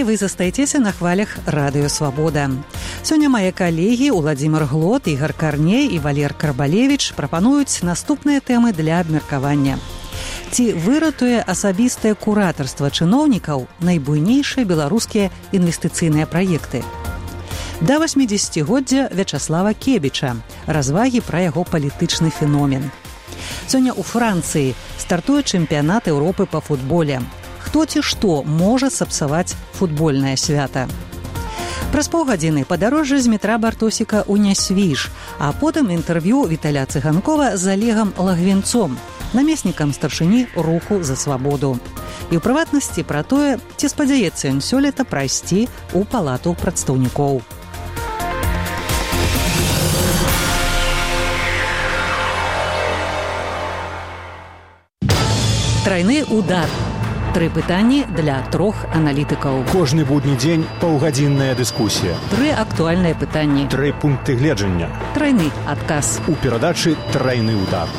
далей вы застаецеся на хвалях Радыё Свабода. Сёння мае калегі Уладзімір Глот, Ігар Карней і Валер Карбалевіч прапануюць наступныя тэмы для абмеркавання. Ці выратуе асабістае куратарства чыноўнікаў найбуйнейшыя беларускія інвестыцыйныя праекты? Да 80-годдзя Вячаслава Кебіча. Развагі пра яго палітычны феномен. Сёння ў Францыі стартуе чэмпіянат Еўропы па футболе. Хто ці што можа сапсаваць футбольнае свята? Праз паўгадзіны падарожжа з метра Бартосіка ў Нясвіж, а потым інтэрв'ю Віталя Цыганкова з Олегам Лагвінцом, намеснікам старшыні руху за свабоду. І ў прыватнасці пра тое, ці спадзяецца ён сёлета прайсці ў палату прадстаўнікоў. Трайны удар. 3 пытанні для 3 аналітыкаў. Кожны будні дзень паўгадзінная дыскусія. 3 актуальныя пытанні. 3 пункты гледжання. Трайны адказ. У перадачы «Трайны удар».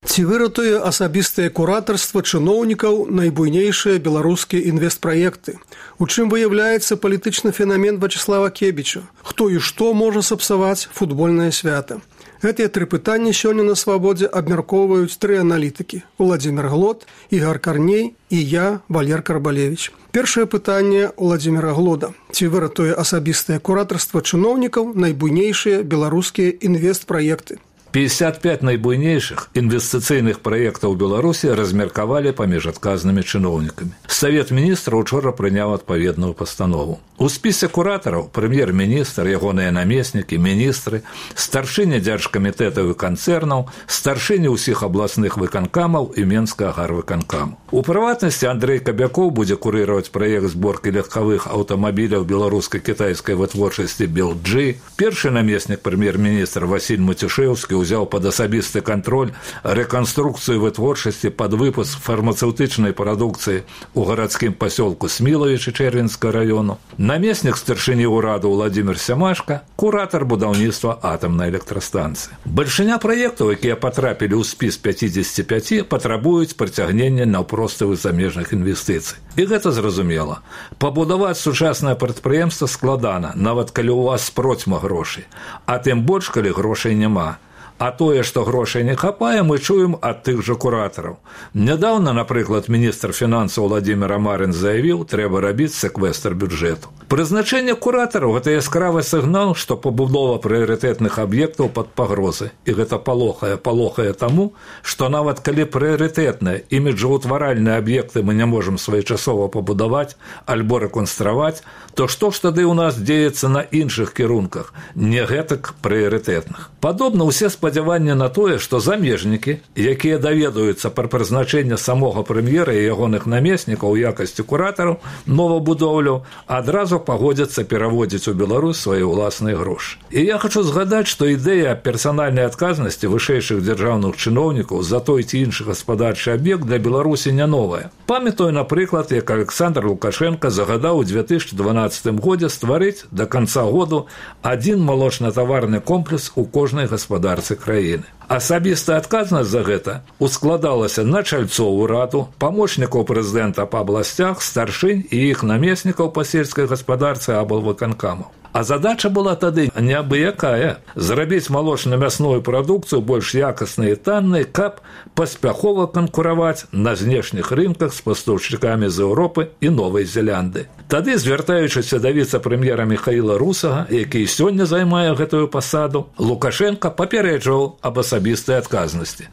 Ці выратуе асабістае куратарства чыноўнікаў найбуйнейшыя беларускія інвестпраекты? У чым выяўляецца палітычны фенамен Вячаслава Кебіча? Хто і што можа сапсаваць футбольнае свята? Гэтыя 3 пытанні сёння на Свабодзе абмяркоўваюць 3 аналітыкі: Уладзімір Глот, Ігар Карней і я, Валер Карбалевіч. Першае пытанне Уладзіміра Глода. Ці выратуе асабістае куратарства чыноўнікаў найбуйнейшыя беларускія інвестпраекты? 55 найбуйнейшых інвестыцыйных праектаў Беларусі размеркавалі паміж адказнымі чыноўнікамі. Савет міністраў учора прыняў адпаведную пастанову. У спісе куратараў прэм'ер-міністр, ягоныя намеснікі, міністры, старшыня дзяржкамітэтаў і канцэрнаў, старшыні ўсіх абласных выканкамаў і Менскага гарвыканкаму. У прыватнасці Андрэй Кабякоў будзе курыраваць праект зборкі легкавых аўтамабіляў беларуска-кітайскай вытворчасці «Белджи». Першы намеснік прэм'ер-міністр Васіль Матюшэўскі ўзяў пад асабісты кантроль рэканструкцыю вытворчасці пад выпуск фармацэўтычнай прадукцыі ў гарадскім пасёлку Смілавічы Чэрвенскага раёну. Намеснік старшыні ўраду Уладзімір Сямашка, куратар будаўніцтва атамнай электрастанцыі. Бальшыня праектаў, якія патрапілі ў спіс 55, патрабуюць прыцягнення наўпроставых замежных інвестыцый. І гэта зразумела. Пабудаваць сучаснае прадпрыемства складана, нават калі ў вас процьма грошай, а тым больш, калі грошай няма. А тое, што грошай не хапае, мы чуем ад тых жа куратараў. Нядаўна, напрыклад, міністр фінансаў Владзімір Амарын заявіў, трэба рабіць сэквестр бюджэту. Прызначэнне куратараў – гэта яскравы сігнал, што пабудова прыярытэтных аб'ектаў пад пагрозай. І гэта палохае таму, што нават калі прыярытэтныя іміджаўтваральныя аб'екты мы не можам своечасова пабудаваць альбо рэконстраваць, то што ж тады ў нас дзеецца на іншых кірунках, не гэтак прыярытэтных. Падобна ўсе спадзяванні на тое, што замежнікі, якія даведаюцца пра прызначэнне самога прэм'ера і ягоных намеснікаў у якасці куратараў новабудоўляў, адразу пагодзяцца пераводзіць у Беларусь свае ўласныя грошы. І я хачу згадаць, што ідэя персанальнай адказнасці вышэйшых дзяржаўных чыноўнікаў за той ці іншы гаспадарчы аб'ект для Беларусі не новая. Памятаю, напрыклад, як Александр Лукашенко загадаў у 2012 годзе стварыць да канца году адзін малочна-таварны комплекс у кожнай гаспадарцы краіны. Асабістая адказнасць за гэта ускладалася на чальцоў ураду, памочнікаў прэзідэнта па абласцях, старшынь і іх намеснікаў па сельскай гаспадарцы аблвыканкамаў. А задача была тады неабыякая – зрабіць малочна-мясную прадукцыю больш якаснай і таннай, каб паспяхова канкураваць на знешніх рынках з пастаўшчыкамі з Еўропы і Новай Зелянды. Тады, звяртаючыся да віцэ-прэм'ера Міхаіла Русага, які сёння займае гэтую пасаду, Лукашенко папярэджваў аб асабістай адказнасці.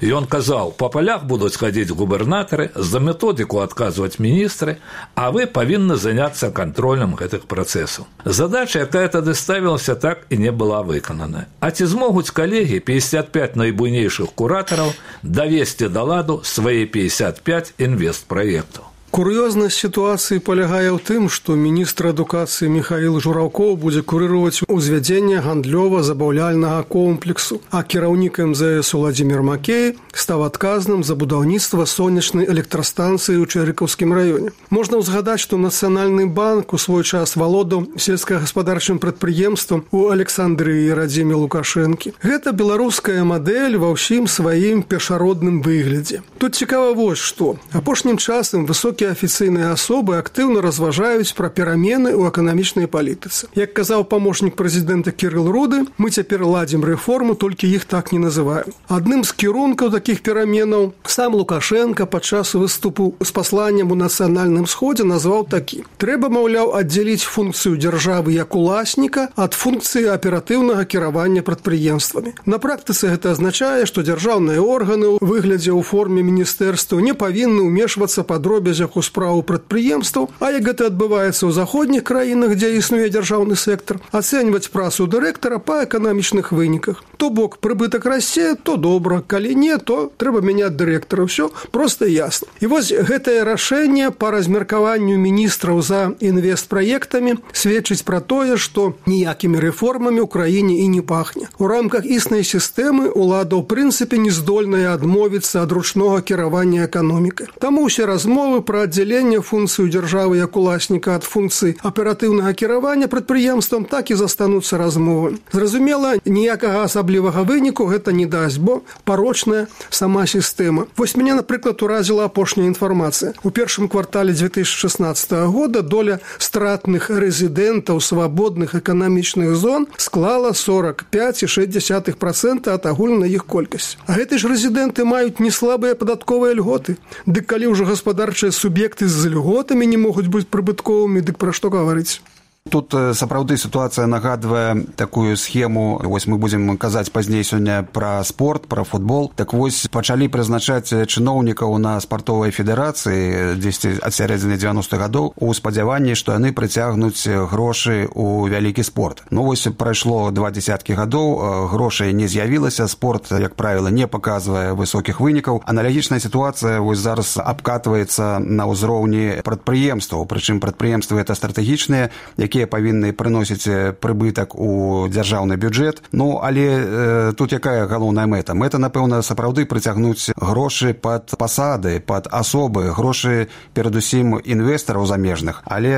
Ён казаў, па палях будуць хадзіць губернатары, за методыку адказваць міністры, а вы павінны заняцца кантролем гэтых працэсаў. Задача, якая тады ставілася, так і не была выканана. А ці змогуць калегі 55 найбуйнейшых куратараў давесці да ладу свае 55 інвестпраектаў? Кур'ёзнасць сітуацыі палягае ў тым, што міністр адукацыі Міхаіл Жураўкоў будзе курыраваць узвядзенне гандлёва-забаўляльнага комплексу, а кіраўнік МЗС Уладзімір Макей стаў адказным за будаўніцтва сонечнай электрастанцыі ў Чэрыкаўскім раёне. Можна ўзгадаць, што Нацыянальны банк у свой час валодаў сельскагаспадарчым прадпрыемствам у Александрыі радзіме Лукашэнкі. Гэта беларуская мадэль ва ўсім сваім першародным выглядзе. Тут цікава вось што. Апошнім часам высокія афіцыйныя асобы актыўна разважаюць пра перамены ў эканамічнай палітыцы. Як казаў памочнік прэзідэнта Кірыл Руды, мы цяпер ладзім рэформу, толькі іх так не называем. Адным з кірункаў такіх пераменаў сам Лукашенко падчас выступу з пасланнем у Нацыянальным сходзе назваў такі: трэба, маўляў, аддзяліць функцыю дзяржавы як уласніка ад функцыі аператыўнага кіравання прадпрыемствамі. На практыцы гэта азначае, што дзяржаўныя органы ў выглядзе ў форме міністэрстваў не павінны ўмешвацца па дробязях у справу прадпрыемстваў, а як гэта адбываецца ў заходніх краінах, дзе існуе дзяржаўны сектар, ацэньваць працу дырэктара па эканамічных выніках. То бок прыбытак расце, то добра, калі не, то трэба мяняць дырэктара. Ўсё проста і ясна. І вось гэтае рашэнне па размеркаванню міністраў за інвестпраектамі сведчыць пра тое, што ніякімі рэформамі ў краіне і не пахне. У рамках існай сістэмы ўлада ў прынцыпе не здольная адмовіцца ад ручнога кіравання эканомікай. Таму ўсе размовы пра аддзяленне функцыю дзяржавы як уласніка ад функцыі аператыўнага кіравання прадпрыемствам так і застануцца размовамі. Зразумела, ніякага асаблівага выніку гэта не дасць, бо парочная сама сістэма. Вось мяне, напрыклад, уразіла апошняя інфармацыя. У першым квартале 2016 года доля стратных рэзідэнтаў свабодных эканамічных зон склала 45,6% ад агульнай іх колькасці. А гэты ж рэзідэнты маюць неслабыя падатковыя льготы. Дык калі ўжо гаспадарчыя суб'екты з льготамі не могуць быць прыбытковымі, дык пра што гаварыць? Тут сапраўды сітуацыя нагадвае такую схему. Вось мы будзем казаць пазней сёння пра спорт, пра футбол. Так вось пачалі прызначаць чыноўнікаў на спартовай федэрацыі дзесьці ад сярэдзіны 90-х гадоў у спадзяванні, што яны прыцягнуць грошы ў вялікі спорт. Ну вось прайшло 20 гадоў, грошай не з'явілася, спорт, як правіла, не паказвае высокіх вынікаў. Аналагічная сітуацыя вось зараз абкатваецца на ўзроўні прадпрыемстваў, прычым прадпрыемствы гэта стратэгічныя, якія павінны прыносіць прыбытак у дзяржаўны бюджэт. Ну, але тут якая галоўная мэта? Мэта, напэўна, сапраўды прыцягнуць грошы пад пасады, пад асобы, грошы перадусім інвестараў замежных. Але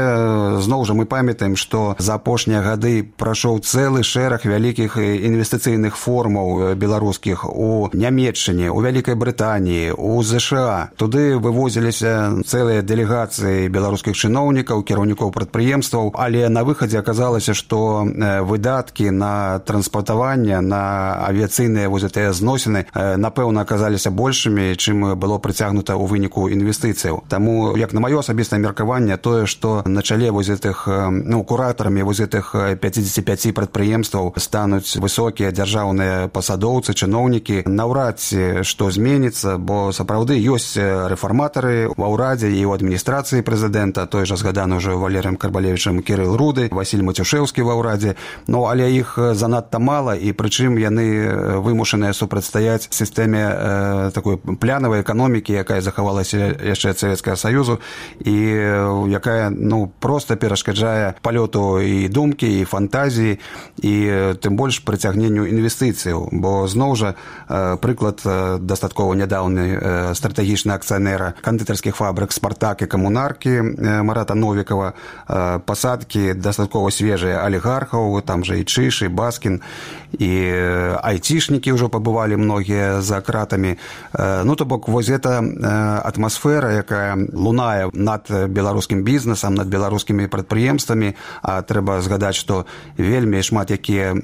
зноў жа мы памятаем, што за апошнія гады прайшоў цэлы шэраг вялікіх інвестыцыйных форумаў беларускіх у Нямецчыне, у Вялікай Брытаніі, у ЗША. Туды вывозіліся цэлыя дэлегацыі беларускіх чыноўнікаў, кіраўнікоў прадпрыемстваў, але на выхадзе аказалася, што выдаткі на транспартаванне, на авіяцыйныя вось гэтыя зносіны, напэўна, аказаліся большымі, чым было прыцягнута ў выніку інвестыцыяў. Таму, як на маё асабістае меркаванне, тое, што на чале вось гэтых, куратарамі вось гэтых 55 прадпрыемстваў стануць высокія дзяржаўныя пасадоўцы, чыноўнікі, наўрад ці што зменіцца, бо сапраўды ёсць рэфарматары ва ўрадзе і ў адміністрацыі прэзідэнта, той жа згаданы ўжо Валерыем Карбалевічам Кірыл Руды, Васіль Мацюшэўскі ва ўрадзе, ну, але іх занадта мала, і прычым яны вымушаныя супрацьстаяць сістэме такой плянавай эканомікі, якая захавалася яшчэ ад Савецкага Саюзу і якая, проста перашкаджае палёту і думкі, і фантазіі, і тым больш прыцягненню інвестыцыяў, бо зноў жа прыклад дастаткова нядаўны стратэгічны акцыянера кандытарскіх фабрык «Спартак» і «Камунаркі» Марата Новікава, пасадкі дастаткова свежыя алігархаў, там жа і Чыш, і Баскін, і айцішнікі ўжо пабывалі многія за кратамі. Ну, то бок, вось гэта атмасфера, якая лунае над беларускім бізнесам, над беларускімі прадпрыемствамі, а трэба згадаць, што вельмі шмат якія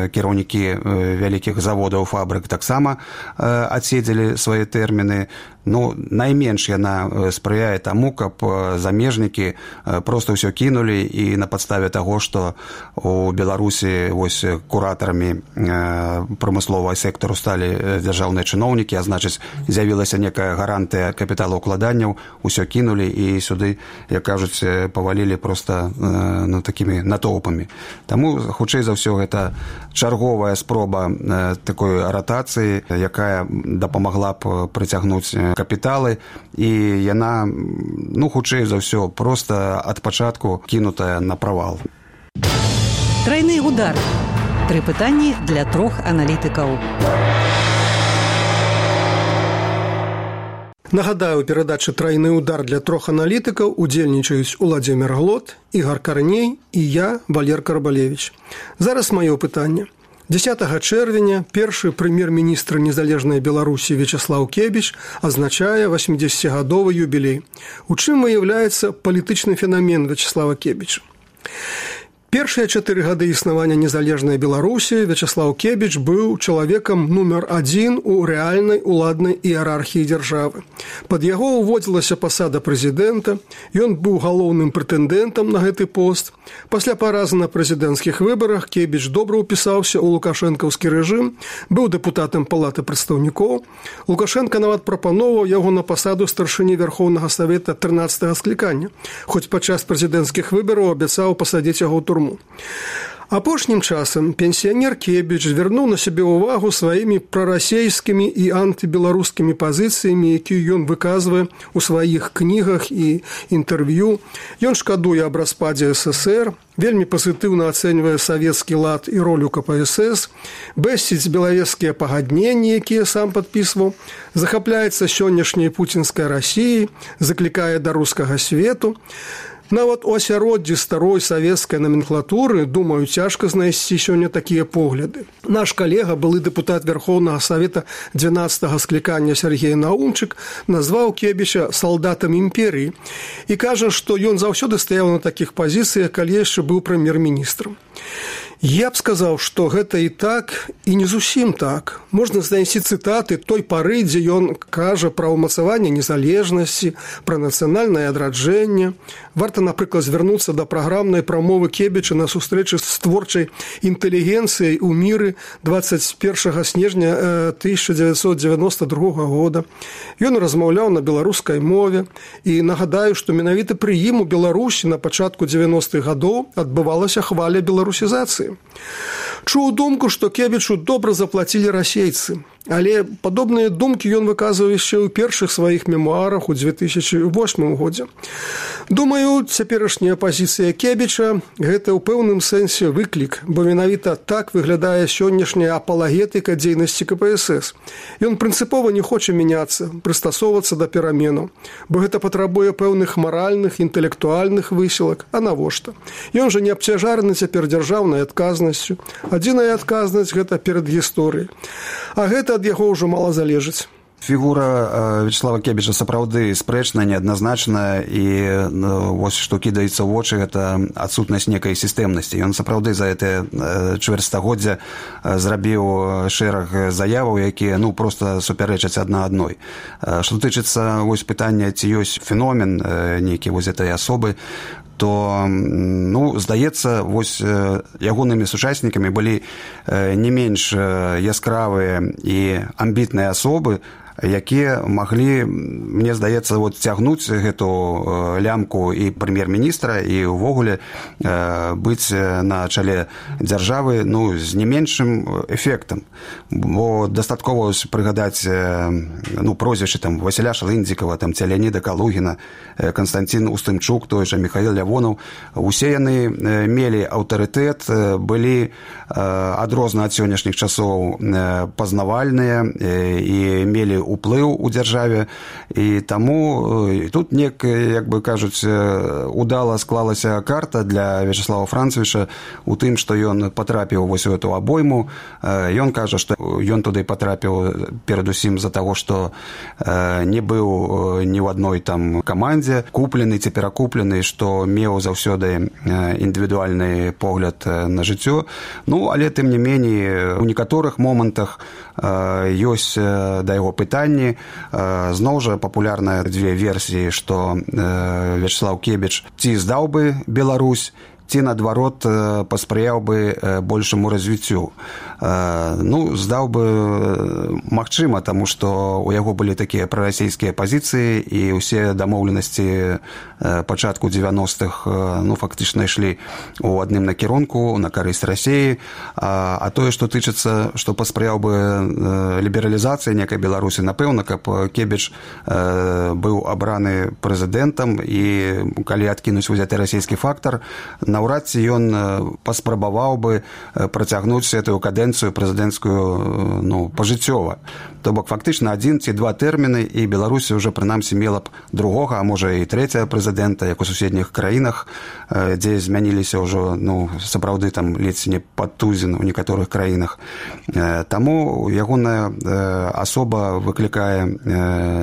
кіраўнікі вялікіх заводаў, фабрык таксама адседзелі свае тэрміны. Ну, найменш яна спрыяе таму, каб замежнікі проста ўсё кінулі і, напрыклад, падставе таго, што у Беларусі вось куратарамі прамысловага сектару сталі дзяржаўныя чыноўнікі, а значыць, з'явілася некая гарантыя капіталаўкладанняў, усё кінулі і сюды, як кажуць, павалілі проста такімі натоўпамі. Таму, хутчэй за ўсё, гэта чарговая спроба такой ратацыі, якая дапамагла б прыцягнуць капіталы, і яна, хутчэй за ўсё, проста ад пачатку кінутая на правал. Трайны удар. 3 пытанні для 3 аналітыкаў. Нагадаю, у перадачы «Трайны удар» для 3 аналітыкаў удзельнічаюць Уладзімір Глот, Ігар Карней і я, Валер Карбалевіч. Зараз маё пытанне. 10 чэрвеня першы прэм'ер-міністр незалежнай Беларусі Вячеслаў Кебіч адзначае 80-гадовы юбілей. У чым выяўляецца палітычны фенамен Вячеслава Кебіча? Першыя 4 гады існавання незалежнай Беларусі Вячеслаў Кебіч быў чалавекам нумар 1 у рэальнай уладнай іерархіі дзяржавы. Пад яго ўводзілася пасада прэзідэнта, ён быў галоўным прэтэндэнтам на гэты пост. Пасля паразы на прэзідэнцкіх выбарах Кебіч добра ўпісаўся ў лукашэнкаўскі рэжым, быў дэпутатам палаты прадстаўнікоў. Лукашенка нават прапаноўваў яго на пасаду старшыні Вярхоўнага Савета 13-га склікання, хоць падчас прэзідэнцкіх выбараў абяцаў пасадзіць яго ў турму. Апошнім часам пенсіянер Кебіч звярнуў на сябе ўвагу сваімі прарасейскімі і антыбеларускімі пазіцыямі, якія ён выказвае ў сваіх кнігах і інтэрв'ю. Ён шкадуе аб распадзе СССР, вельмі пазітыўна ацэньвае савецкі лад і ролю КПСС, бэсціць белавежскія пагадненні, якія сам падпісваў, захапляецца сённяшняй пуцінскай Расіяй, заклікае да рускага свету. Нават у асяроддзі старой савецкай наменклатуры, думаю, цяжка знайсці сёння такія погляды. Наш калега, былы дэпутат Верховнага Савета 12-га склікання Сергей Наумчык, назваў Кебіча салдатам імперіі і кажа, што ён заўсёды стаяў на такіх пазіцыях, калі яшчэ быў прэм'ер-міністрам. Я б сказаў, што гэта і так, і не зусім так. Можна знайсці цытаты той пары, дзе ён кажа пра ўмацаванне незалежнасці, пра нацыянальнае адраджэнне. Варта, напрыклад, звярнуцца да праграмнай прамовы Кебіча на сустрэчы з творчай інтэлігенцыяй у міры 21 снежня 1992 года. Ён размаўляў на беларускай мове, і нагадаю, што менавіта пры ім у Беларусі на пачатку 90-х гадоў адбывалася хваля беларусізацыі. Чуў думку, што Кебічу добра заплацілі расейцы, але падобныя думкі ён выказваў яшчэ ў першых сваіх мемуарах у 2008 годзе. Думаю, цяперашняя пазіцыя Кебіча – гэта ў пэўным сэнсе выклік, бо менавіта так выглядае сённяшняя апалагетыка дзейнасці КПСС. Ён прынцыпова не хоча мяняцца, прыстасоўвацца да пераменаў, бо гэта патрабуе пэўных маральных, інтэлектуальных высілак, а навошта? Ён жа не абцяжараны цяпер дзяржаўнай адказнасцю. Адзіная адказнасць – гэта перад гісторыяй. А гэта ад яго ўжо мала залежыць. Фігура Вячеслава Кебіча сапраўды спрэчная, неадназначная, і вось што кідаецца ў вочы, гэта адсутнасць некай сістэмнасці. Ён сапраўды за гэтае чвэрцьстагоддзя зрабіў шэраг заяваў, якія проста супярэчаць адна адной. Што тычыцца вось пытання, ці ёсць феномен нейкі вось гэтай асобы, то, здаецца, вось ягонымі сучаснікамі былі не менш яскравыя і амбітныя асобы, якія маглі, мне здаецца, цягнуць гэту лямку і прэм'ер-міністра, і ўвогуле быць на чале дзяржавы з не меншым эфектам. Бо дастаткова прыгадаць прозвішчы Васіля Шалындзікава, ці Леаніда Калугіна, Канстантин Устымчук, той жа Михаил Лявонаў. Усе яны мелі аўтарытэт, былі адрозна ад сённяшніх часоў пазнавальныя і мелі уплыў у дзяржаве, і таму тут як бы кажуць, удала склалася карта для Вячеслава Францевіча у тым, што ён патрапіў вось у эту абойму. Ён кажа, што ён туды патрапіў перадусім з-за таго, што не быў ні ў адной камандзе, куплены ці перакуплены, што меў заўсёды індывідуальны погляд на жыццё. Але тым не меней у некаторых момантах ёсць да яго пытанні. Зноў жа папулярныя 2 версіі, што Вячеслав Кебіч ці здаў бы Беларусь, ці, наадварот, паспрыяў бы большаму развіццю. Здаў бы магчыма, таму што ў яго былі такія прарасійскія пазіцыі, і ўсе дамоўленасці пачатку 90-х фактычна ішлі ў адным накірунку на карысць Расіі. А тое, што тычыцца, што паспрыяў бы лібералізацыі некай Беларусі, напэўна, каб Кебіч быў абраны прэзідэнтам, і калі адкінуць узяты расійскі фактар, наўрад ці ён паспрабаваў бы працягнуць гэтую кадэнцыю прэзідэнцкую пажыццёва. То бок фактычна 1 ці 2 тэрміны, і Беларусі ўжо прынамсі мела б другога, а можа і трэцяга прэзідэнта, як у суседніх краінах, дзе змяніліся ўжо сапраўды там ледзь не пад тузін у некаторых краінах. Таму ягоная асоба выклікае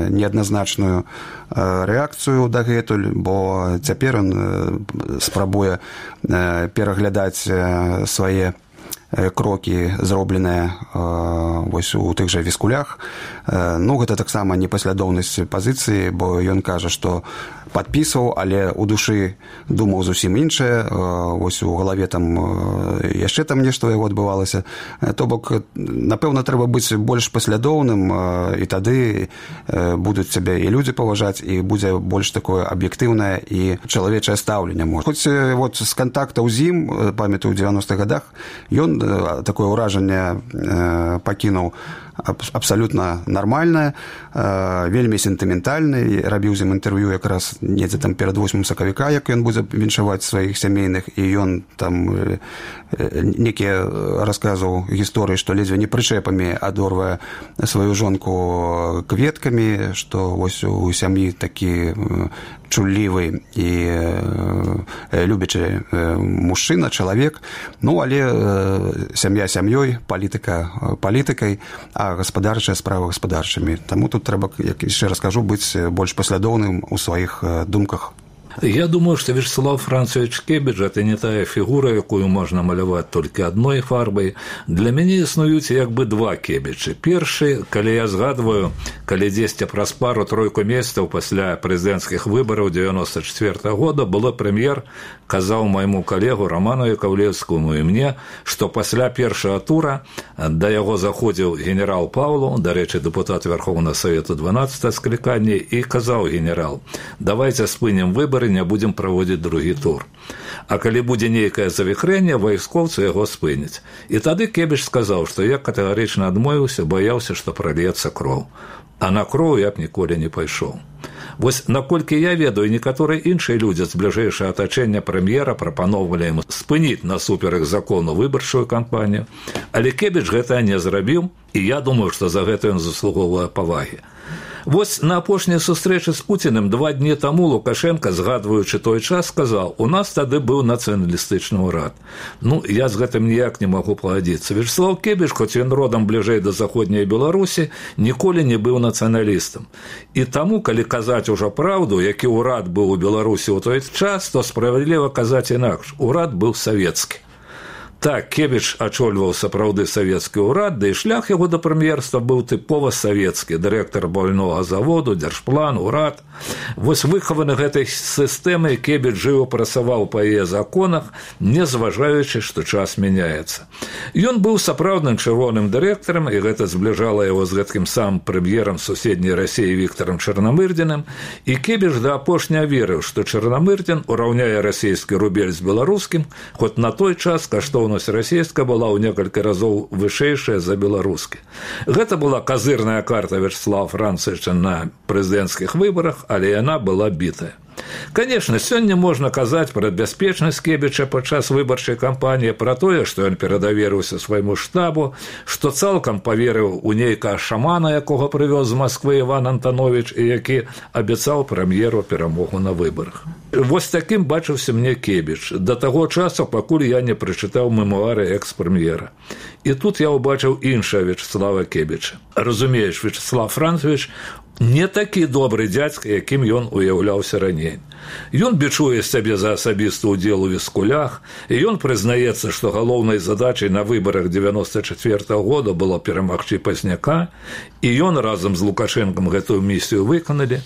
неадназначную рэакцыю дагэтуль, бо цяпер ён спрабуе пераглядаць свае крокі, зробленыя вось у тых жа Віскулях. Гэта таксама непаслядоўнасць пазіцыі, бо ён кажа, што падпісваў, але ў душы думаў зусім іншае, вось у галаве там яшчэ там нешта яго адбывалася. То бок, напэўна, трэба быць больш паслядоўным, і тады будуць цябе і людзі паважаць, і будзе больш такое аб'ектыўнае і чалавечае стаўленне. Хоць вот з кантактаў з ім, памятаю, ў 90-х гадах, ён такое ўражанне пакінуў абсалютна нармальнае, вельмі сентыментальны, рабіў з ім інтэрв'ю якраз недзе там перад 8 сакавіка, як ён будзе віншаваць сваіх сямейных, і ён там некія расказваў гісторыі, што ледзьве не прычэпамі адорвае сваю жонку кветкамі, што вось у сям'і такі чуллівы і любячы мужчына, чалавек. Але сям'я сям'ёй, палітыка палітыкай, а гаспадарчая справа гаспадарчымі. Таму тут трэба, як яшчэ раз кажу, быць больш паслядоўным у сваіх думках. Я думаю, што Вячеслав Францович Кебідж – это не тая фігура, якую можна маляваць толькі адной фарбай. Для мяне існуюць як бы 2 Кебіджы. Першы, калі я згадваю, калі дзесьці праз пару-тройку месяцаў пасля прэзідэнцкіх выбараў 94 года было прэм'ер казаў майму калегу Роману Яковлевскому і мне, што пасля першага тура да яго заходзіў генерал Паўлу, дарэчы, дэпутат Верховнага Савету 12 склікання, і казаў генерал: давайте спынем выбары, не будем праводзіць другі тур. А калі будзе нейкае завіхрэнне, вайскоўцы яго спыняць. І тады Кебідж сказаў, што я катэгарычна адмовіўся, баяўся, што прольецца кроў. А на кроў я б ніколі не пайшоў. Вось наколькі я ведаю, некаторыя іншыя людзі з бліжэйшага атачэння прэм'ера прапаноўвалі ім спыніць насуперак закону выбарчую кампанію, але Кебідж гэта не зрабіў, і я думаю, што за гэта ён заслугоўвае павагі. Вось на апошняй сустрэчы з Пуціним 2 дні таму Лукашенко, згадваючы той час, сказаў: у нас тады быў нацыяналістычны ўрад. Я з гэтым ніяк не магу пагадзіцца. Вячеслав Кебідж, хоць ён родам бліжэй да заходняй Беларусі, ніколі не быў нацыяналістам. І таму, калі казаць ужо праўду, які ўрад быў у Беларусі ў той час, то справядліва казаць інакш. Урад быў савецкі. Так, Кебідж ачольваў сапраўды савецкі ўрад, да і шлях яго да прэм'ерства быў тыпова савецкі: дырэктар бальнога заводу, дзяржплан, урад. Вось выхаваны гэтай сістэмай Кебідж жыў, працаваў па яе законах, не зважаючы, што час мяняецца. Ён быў сапраўдным чырвоным дырэктарам, і гэта збліжала яго з гэткім самым прэм'ерам суседняй Расіі Віктарам Чарнамырдзіным, і Кебідж да апошняга верыў, што Чарнамырдзін ураўняе расійскі рубель з беларускім, хоць на той час каштоўнасць расійская была ў некалькі разоў вышэйшая за беларускі. Гэта была казырная карта Вячеслава Францовича на прэзідэнцкіх выбарах, але яна была бітая. Конечно, сёння можна казаць пра бяспечнасць Кебіча падчас выбарчай кампаніі, пра тое, што ён перадаверыўся свайму штабу, што цалкам паверыў у нейкага шамана, якога прывёз з Масквы Іван Антанович, і які абяцаў прэм'еру перамогу на выбарах. Вось такім бачыўся мне Кебідж да таго часу, пакуль я не прачытаў мемуары экс-прэм'ера. І тут я ўбачыў іншага Вячеслава Кебіча. Разумееш, Вячеслав Францович не такі добры дзядзька, якім ён уяўляўся раней. Ён бічуе сябе за асабісты ўдзел у Віскулях, і ён прызнаецца, што галоўнай задачай на выбарах 94 года было перамагчы Пазняка, і ён разам з Лукашэнкам гэтую місію выканалі.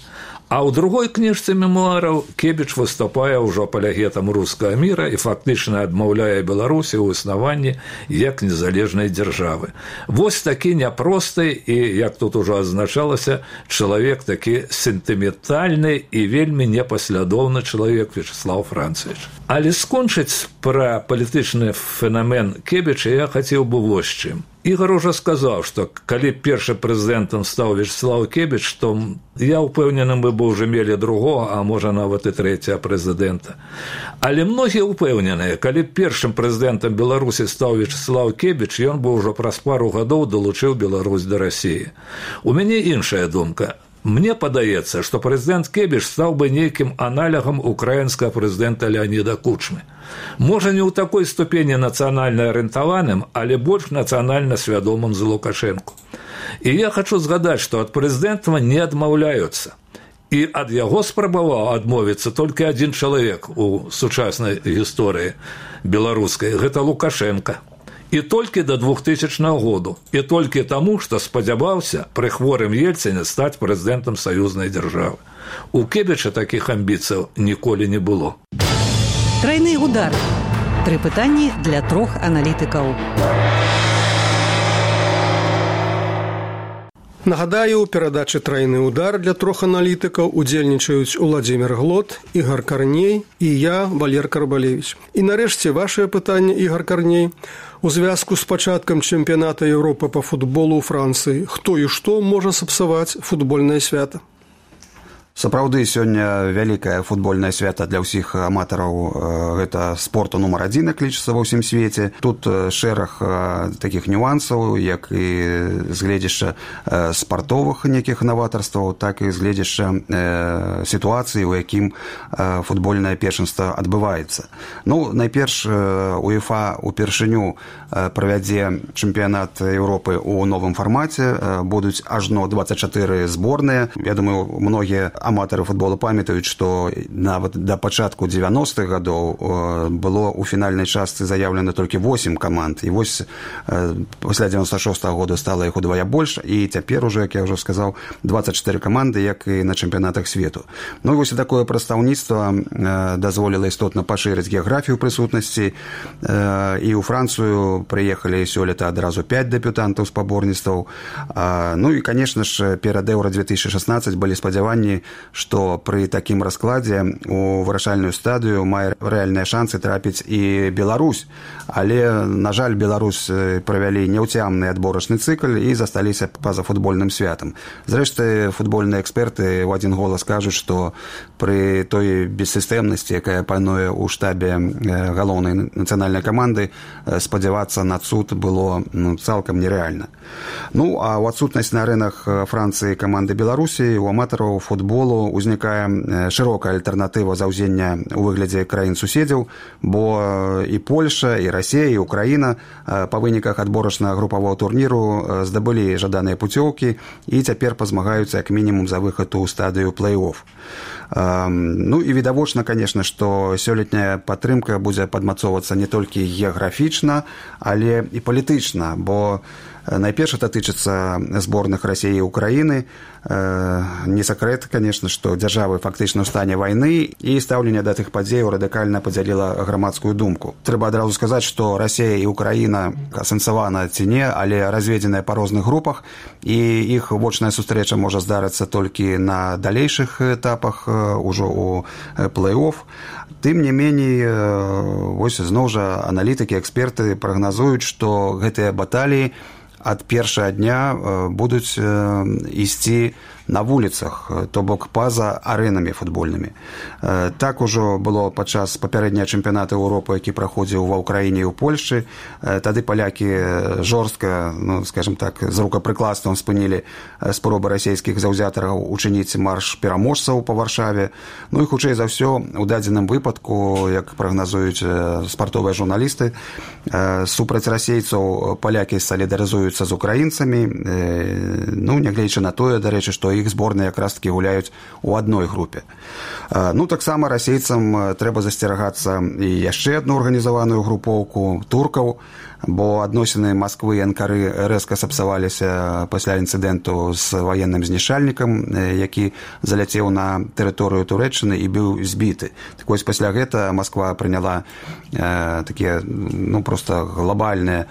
А ў другой кніжцы мемуараў Кебіч выступае ўжо апалегетам рускага міра і фактычна адмаўляе Беларусі ў існаванні як незалежнай дзяржавы. Вось такі няпросты і, як тут ужо азначалася, чалавек такі сентыментальны і вельмі непаслядоўны чалавек Вячеслав Францевич. Але скончыць пра палітычны феномен Кебіча я хацеў бы вось чым. Ігор уже сказаў, што калі першым прэзідэнтам стаў Вячеслав Кебіч, то я ўпэўненым бы ўжо мелі другога, а можа нават і трэцяга прэзідэнта. Але многія ўпэўненыя, калі першым прэзідэнтам Беларусі стаў Вячеслав Кебіч, ён бы ўжо праз пару гадоў далучыў Беларусь да Расіі. У мяне іншая думка. Мне падаецца, што прэзідэнт Кебіч стаў бы нейкім аналогам украінскага прэзідэнта Леоніда Кучмы. Можа, не ў такой ступені нацыянальна арыентаваным, але больш нацыянальна свядомым за Лукашэнку. І я хачу згадаць, што ад прэзідэнтства не адмаўляюцца. І ад яго спрабаваў адмовіцца толькі адзін чалавек у сучаснай гісторыі беларускай – гэта Лукашенко. І толькі да 2000 году. І толькі таму, што спадзяваўся пры хворым Ельцине стаць прэзідэнтам саюзнай дзяржавы. У Кебіча такіх амбіцыяў ніколі не было. Трайны удар. 3 пытанні для 3 аналітыкаў. Нагадаю, у перадачы «Трайны удар» для 3 аналітыкаў удзельнічаюць Уладзімір Глот, Ігор Карней і я, Валер Карбалевич. І нарэшце вашае пытанне, Ігор Карней. У звязку з пачаткам чэмпіяната Еўропы па футболу ў Францыі хто і што можа сапсаваць футбольнае свята? Сапраўды, сёння вялікае футбольнае свята для ўсіх аматараў. Гэта спорту нумар 1, як лічыцца ва ўсім свеце. Тут шэраг такіх нюансаў, як і з гледзяшча спартовых нейкіх наватарстваў, так і з гледзяшча сітуацыі, у якім футбольнае першынства адбываецца. Ну, найперш, УЕФА упершыню правядзе чэмпіянат Еўропы ў новым фармаце. Будуць ажно 24 зборныя. Я думаю, многія аматары футбола памятаюць, што нават да пачатку 90-х гадоў было ў фінальнай частцы заяўлена толькі 8 каманд. І вось пасля 96-го года стала іх удвая больш, і цяпер уже, як я ўжо сказаў, 24 каманды, як і на чэмпіянатах свету. Ну і вось такое прадстаўніцтва дазволіла істотна пашырыць геаграфію прысутнасці. І ў Францыю прыехалі сёлета адразу 5 дэбютантаў спаборніцтваў. Ну і, канешне ж, перад Еўра 2016 былі спадзяванні, што пры такім раскладзе у вырашальную стадыю мае рэальныя шансы трапіць і Беларусь. Але, на жаль, Беларусь правялі няўцямны адборачны цыкл і засталіся па-за футбольным святам. Зрэшты, футбольныя эксперты ў адзін голас кажуць, што пры той бессістэмнасці, якая пануе ў штабе галоўнай нацыянальнай каманды, спадзявацца на цуд было цалкам нерэальна. Ну, а ў адсутнасць на арэнах Францыі каманды Беларусі у аматараў футболу узнікае шырокая альтэрнатыва заўзення ў выглядзе краін-суседзяў, бо і Польша, і Расія, і Украіна па выніках адборачнага групавого турніру здабылі жаданыя пуцёўкі і цяпер пазмагаюцца як мінімум за выхад у стадыю плэй-офф. Ну і відавочна, конечно, што сёлетняя падтрымка будзе падмацоўвацца не толькі геаграфічна, але і палітычна, бо найперш это тычыцца зборных Расіі і Украіны. Не сакрэт, конечно, што дзяржавы фактычна ў стане вайны, і стаўленне да тых падзеяў радыкальна падзяліла грамадскую думку. Трэба адразу сказаць, што Расія і Украіна асэнсавана ці не, але разведзеныя па розных групах, і іх вочная сустрэча можа здарыцца толькі на далейшых этапах, ужо ў плэй-офф. Тым не меней, вось зноў жа аналітыкі, эксперты прагназуюць, што гэтыя баталіі ад першага дня будуць ісці на вуліцах, то бок па-за арэнамі футбольнымі. Так ужо было падчас папярэдняга чэмпіяната Еўропы, які праходзіў ва ўкраіне і ў Польшчы. Тады палякі жорстка, скажем так, з рукапрыкладствам спынілі спробы расійскіх заўзятараў учыніць марш пераможцаў па Варшаве. Ну і хутчэй за ўсё, у дадзеным выпадку, як прагназуюць спартовыя журналісты, супраць расейцаў палякі салідарызуюцца з украінцамі. Ну, нягледзячы на тое, дарэчы, што іх зборныя якраз-такі гуляюць у адной групе. Ну, таксама расейцам трэба засцерагацца і яшчэ адну арганізаваную групоўку туркаў. бо адносіны Масквы і Анкары рэзка сапсаваліся пасля інцыдэнту з ваенным знішчальнікам, які заляцеў на тэрыторыю Турэччыны і быў збіты. Так вось пасля гэта Масква прыняла такія проста глобальныя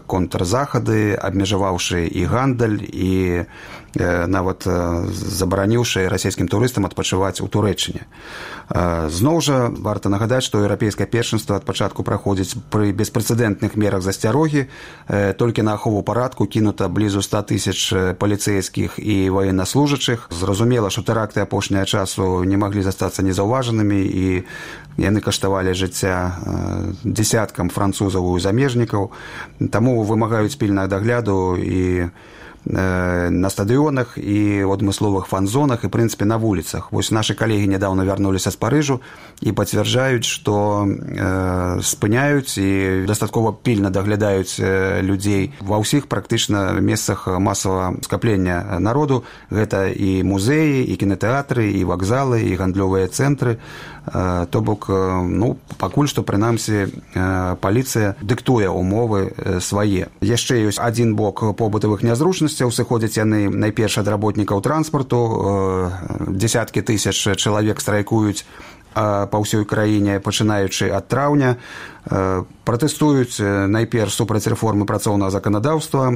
контрзахады, абмежаваўшы і гандаль, і нават забараніўшы расійскім турыстам адпачываць у Турэччыне. Зноў жа варта нагадаць, што еўрапейскае першынства ад пачатку праходзіць пры беспрэцэдэнтных мерах засцярогі. Толькі на ахову парадку кінута блізу 100 000 паліцэйскіх і ваеннаслужачых. Зразумела, што тэракты апошняга часу не маглі застацца незаўважанымі, і яны каштавалі жыцця дзесяткам французаў і замежнікаў. Таму вымагаюць пільнага дагляду і на стадыёнах, і ў адмысловых фан-зонах, і, в прынцыпе, на вуліцах. Вось нашы калегі нядаўна вярнуліся з Парыжу і пацвярджаюць, што спыняюць і дастаткова пільна даглядаюць людзей ва ўсіх практычна месцах масавага скаплення народу. Гэта і музеі, і кінатэатры, і вакзалы, і гандлёвыя цэнтры. То бок, пакуль што, прынамсі, паліцыя дыктуе умовы свае. Яшчэ ёсць адзін бок побытавых нязручнасцяў. Сыходзяць яны найперш ад работнікаў транспарту. Дзесяткі тысяч чалавек страйкуюць па ўсёй краіне, пачынаючы ад траўня. Пратэстуюць найперш супраць рэформы працоўнага заканадаўства,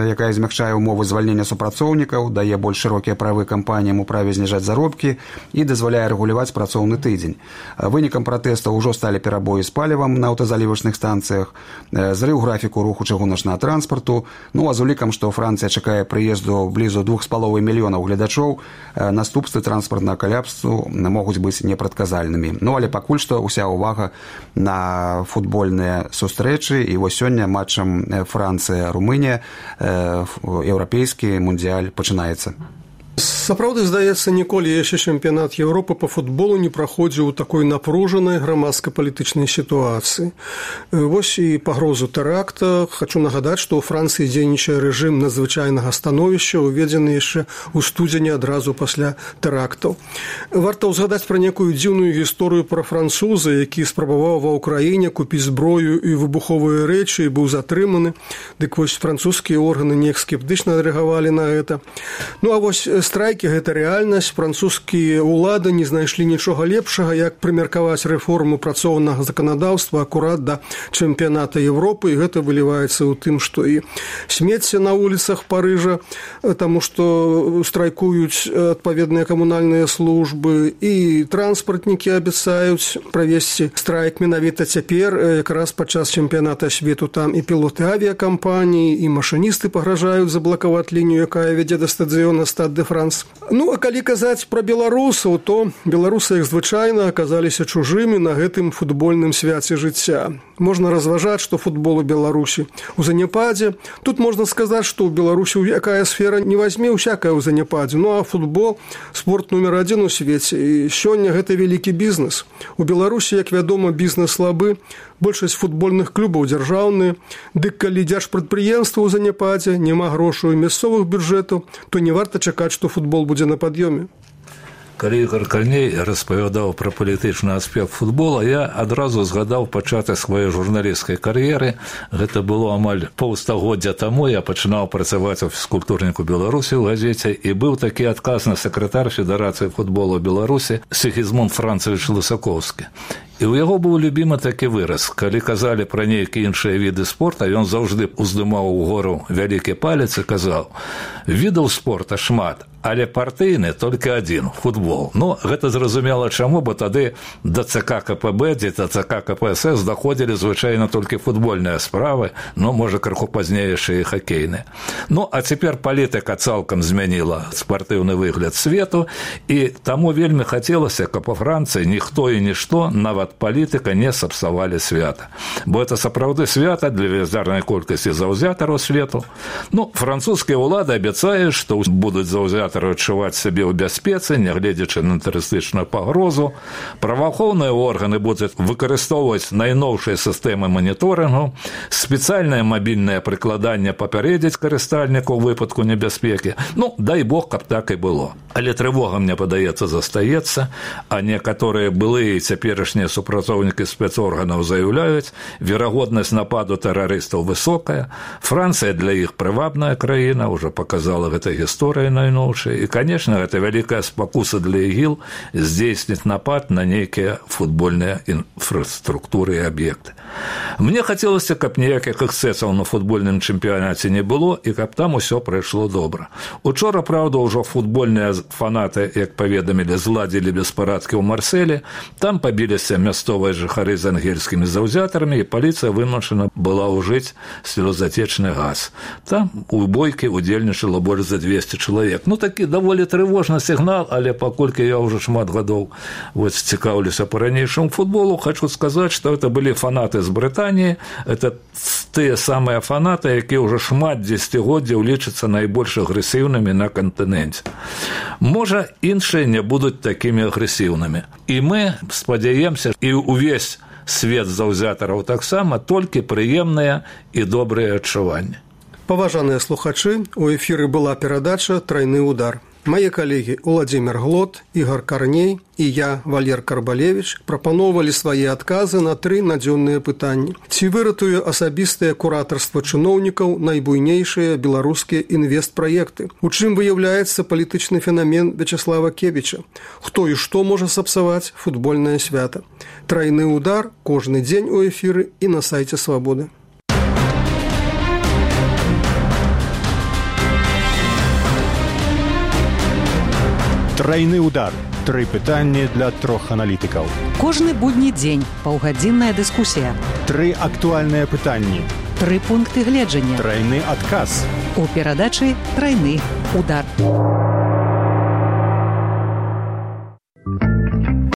якая змягчае умовы звальнення супрацоўнікаў, дае больш шырокія правы кампаніям у праве зніжаць заробкі і дазваляе рэгуляваць працоўны тыдзень. Вынікам пратэстаў ужо сталі перабоі з палівам на аўтазалівачных станцыях, зрыў графіку руху чыгуначнага транспарту. А з улікам, што Францыя чакае прыезду блізу 2,5 мільёнаў гледачоў, наступствы транспартнага каляпсу могуць быць непрадказальнымі. Але пакуль што ўся ўвага на футбольныя сустрэчы, і вось сёння матчам Францыя-Румынія еўрапейскі мундыяль пачынаецца. Сапраўды, здаецца, ніколі яшчэ чэмпіянат Еўропы па футболу не праходзіў у такой напружанай грамадска-палітычнай сітуацыі. Вось і пагрозу тэракта. Хачу нагадаць, што ў Францыі дзейнічае рэжым надзвычайнага становішча, уведзены яшчэ ў студзені адразу пасля тэрактаў. Варта ўзгадаць пра некую дзіўную гісторыю пра француза, які спрабаваў ва ўкраіне купіць зброю і выбуховыя рэчы і быў затрыманы. Дык вось французскія органы неяк скептычна рэагавалі на гэта. А вось страйкі – гэта рэальнасць. Французскія ўлады не знайшлі нічога лепшага, як прымеркаваць рэформу працоўнага заканадаўства акурат да чэмпіяната Еўропы, і гэта выліваецца ў тым, што і смецце на вуліцах Парыжа, таму што страйкуюць адпаведныя камунальныя службы, і транспартнікі абяцаюць правесці страйк менавіта цяпер, якраз падчас чэмпіяната свету. Там і пілоты авіякампаніі, і машыністы пагражаюць заблакаваць лінію, якая вядзе да стадыёна Стад де Франс. А калі казаць пра беларусаў, то беларусы, як звычайна, аказаліся чужымі на гэтым футбольным свяце жыцця. Можна разважаць, што футбол у Беларусі ў заняпадзе. Тут можна сказаць, што ў Беларусі якая сфера не вазьме, усякая ў заняпадзе. А футбол – спорт нумер 1 у свеце. І сёння гэта вялікі бізнес. У Беларусі, як вядома, бізнес слабы. Большасць футбольных клубаў дзяржаўныя. Дык калі дзяржпрадпрыемства ў заняпадзе, няма грошаў і мясцовых бюджэтаў, то не варта чакаць, што футбол будзе на пад'ёме. Калі Ігор Карней распавядаў пра палітычны аспект футбола, я адразу згадаў пачатак сваёй журналісцкай кар'еры. Гэта было амаль паўстагоддзя таму. Я пачынаў працаваць у фізкультурніку Беларусі ў газеце, і быў такі адказны сакратар Федэрацыі футбола Беларусі Сігізмунд Францавіч Лысакоўскі. І ў яго быў любімы такі выраз. Калі казалі пра нейкія іншыя віды спорта, ён заўжды уздымаў угору вялікі палец і казаў: «Відаў спорта шмат, але партыйны толькі адзін – футбол». Гэта зразумела чаму, бо тады да ЦК КПБ, ці да ЦК КПСС даходзілі звычайна толькі футбольныя справы, можа, крыху пазней яшчэ і хакейныя. А цяпер палітыка цалкам змяніла спартыўны выгляд свету, і таму вельмі хацелася, каб у Францыі ніхто і нішто, нават палітыка, не сапсавалі свята. Бо это сапраўды свята для велізарнай колькасці заўзятараў свету. Французскія ўлады абяцаюць, што будуць заўзятары аматары адчуваць сябе ў бяспецы, нягледзячы на тэрарыстычную пагрозу. Праваахоўныя органы будуць выкарыстоўваць найноўшыя сістэмы маніторынгу, спецыяльнае мабільнае прыкладанне папярэдзіць карыстальніку ў выпадку небяспекі. Дай бог, каб так і было. Але трывога, мне падаецца, застаецца, а некаторыя былыя і цяперашнія супрацоўнікі спецорганаў заяўляюць, верагоднасць нападу тэрарыстаў высокая, Францыя для іх прывабная краіна, уже показала гэта гісторыя найноўшая, і, конечно, гэта вялікая спакуса для ігіл здзейсніць напад на нейкія футбольныя інфраструктуры і аб'екты. Мне хацелася, каб ніякіх эксцэсаў на футбольным чэмпіянаце не было і каб там усё прайшло добра. Учора, праўда, ўжо футбольныя фанаты, як паведамілі, зладзілі беспарадкі ў Марселі, там пабіліся мясцовыя жыхары з ангельскімі заўзятарамі, і паліцыя вымушана была ўжыць слёзатечны газ. Там у бойкі удзельнічала больш за 200 чалавек. Такі даволі трывожны сігнал, але паколькі я ўжо шмат гадоў цікаўлюся па-ранейшаму футболу, хочу сказаць, што это былі фанаты з Брытаніі, это тыя самыя фанаты, якія ўжо шмат дзесяцігоддзяў лічацца найбольш агрэсіўнымі на кантыненце. Можа, іншыя не будуць такімі агрэсіўнымі. І мы спадзяемся, і ўвесь свет заўзятараў таксама, толькі прыемныя і добрыя адчуванні. Паважаныя слухачы, у эфіры была перадача «Трайны удар». Мае калегі Уладзімір Глот, Ігар Карней і я, Валер Карбалевіч, прапаноўвалі свае адказы на 3 надзённыя пытанні. Ці выратуе асабістае куратарства чыноўнікаў найбуйнейшыя беларускія інвестпраекты? У чым выяўляецца палітычны фенамен Вячеслава Кебіча? Хто і што можа сапсаваць футбольнае свята? «Трайны удар» кожны дзень у эфіры і на сайце «Свабоды». Трайны удар. 3 пытанні для 3 аналітыкаў. Кожны будні дзень паўгадзінная дыскусія. 3 актуальныя пытанні. 3 пункты гледжання. Трайны адказ. У перадачы «Трайны удар».